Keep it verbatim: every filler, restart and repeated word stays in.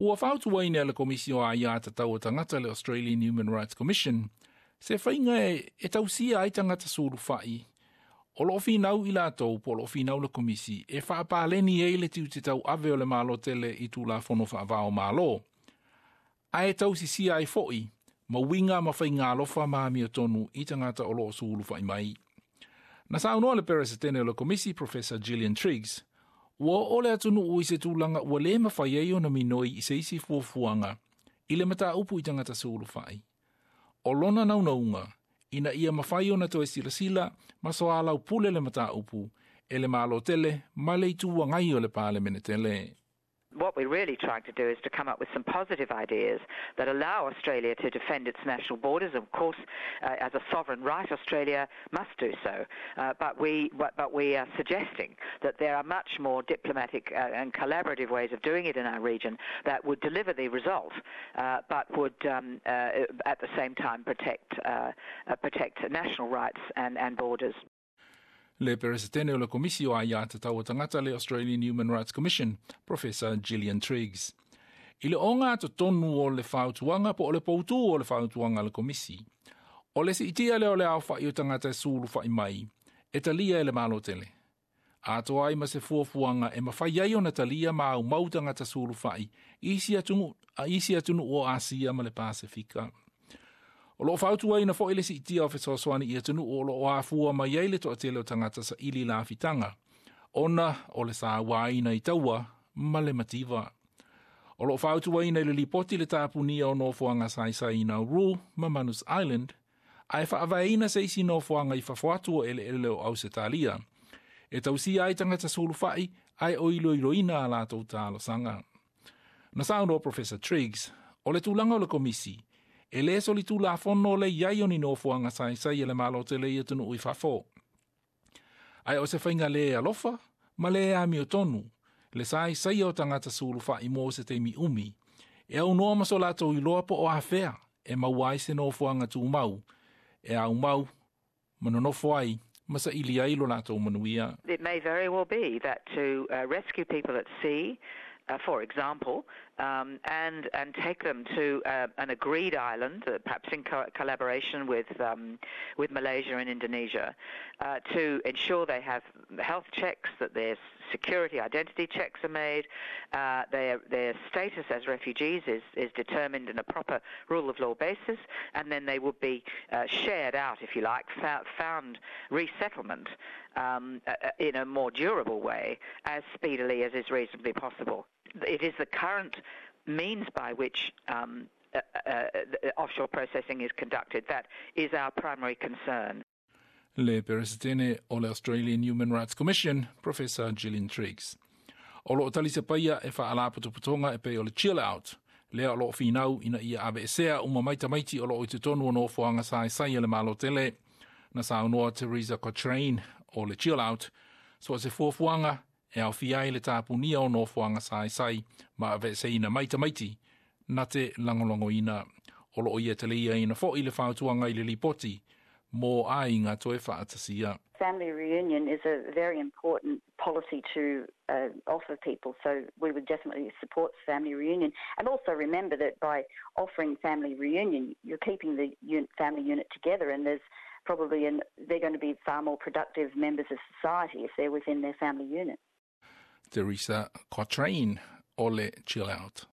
Ua fautuaina e le Komisi o Aiā Tatau a Tagata le Australian Human Rights Commission se faiga e, e tausia ai tagata sulufai o loo finau i latou po o loo finau le Komisi e faapaleni ai le tiute tauave o le Malo tele i Tulafono faavao o Malo, ae tausisia ai fo'i ma uiga ma faiga alofa ma amiotonu i tagata o loo sulufai mai. Na saunoa le Peresetene o le Komisi, Professor Gillian Triggs, ua oo le atunuu i se tulaga ua lē mafai ai ona minoi i se isi fuafuaga i le mataupu i tagata sulufai. O lona naunauga, ina ia mafai ona toe silasila ma soalaupule le mataupu e le Malo tele ma le Itu Agai o le Palemene tele. What we're really trying to do is to come up with some positive ideas that allow Australia to defend its national borders. Of course, uh, as a sovereign right, Australia must do so. Uh, but, we, but, but we are suggesting that there are much more diplomatic uh, and collaborative ways of doing it in our region that would deliver the result, uh, but would um, uh, at the same time protect, uh, protect national rights and, and borders. Le Peresetene o le Komisi o Aiā Tatau a Tagata le Australian Human Rights Commission, Professor Gillian Triggs. I le oga totonu o le fautuaga po o le poutū o le fautuaga a le Komisi, o le siitia lea o le aofa'i o tagata e sulufa'i mai, e talia e le Malo tele. Atoa ai ma se fuafuaga e mafai ai ona talia ma aumau tagata sulufa'i i isi atunuu, isi atunuu o Asia ma le Pasefika. O loo fautuaina fo'i le siitia o fesoasoani i atunuu o loo afua mai ai le toatele o tagata saili lafitaga, ona o le sauaina i taua ma le mativa. O loo fautuaina i le lipoti le tapunia o nofoaga saisai i Nauru ma Manus Island, ae faavaeina se isi nofoaga i fafo atu o eleele o Ausetalia, e tausia ai tagata sulufai ae o iloiloina a latou talosaga. Na saunoa Professor Triggs, o le tulaga o le Komisi, e lē solitulafono le i ai o ni nofoaga saisai e le Malo tele i atunuu i fafo. Ae o se faiga lē alofa ma lē amiotonu, le saisaia o tagata sulufa'i mo se taimi umi, e aunoa ma so latou iloa po o afea e maua ai se nofoaga tumau, e aumau ma nonofo ai ma saili ai lo latou manuia. It may very well be that to uh, rescue people at sea, uh, for example, um, and and take them to uh, an agreed island, uh, perhaps in co- collaboration with um, with Malaysia and Indonesia, uh, to ensure they have health checks, that their security identity checks are made, uh, their their status as refugees is is determined in a proper rule of law basis, and then they would be uh, shared out, if you like, found, found resettlement um, uh, in a more durable way as speedily as is reasonably possible. It is the current means by which um, uh, uh, offshore processing is conducted that is our primary concern. Le Peresetene o le Australian Human Rights Commission, Professor Gillian Triggs. O loo talisapaia e faalapotopotoga e pei o le Chill Out, lea o loo finau ina ia aveesea uma mai tamaiti o loo i totonu o nofoaga saisai a le Malo tele. Na saunoa Teresa Cochrane o le Chill Out, so se fuafuaga e aofia ai le tapunia o nofoaga saisai ma aveeseina mai tamaiti na te lagolagoina. O loo ia taliaina fo'i le fautuaga i le lipoti mo aiga toe faatasia. Family reunion is a very important policy to uh, offer people, so we would definitely support family reunion. And also remember that by offering family reunion, you're keeping the un- family unit together, and there's probably an, they're going to be far more productive members of society if they're within their family unit. Teresa Cochrane o le Chill Out.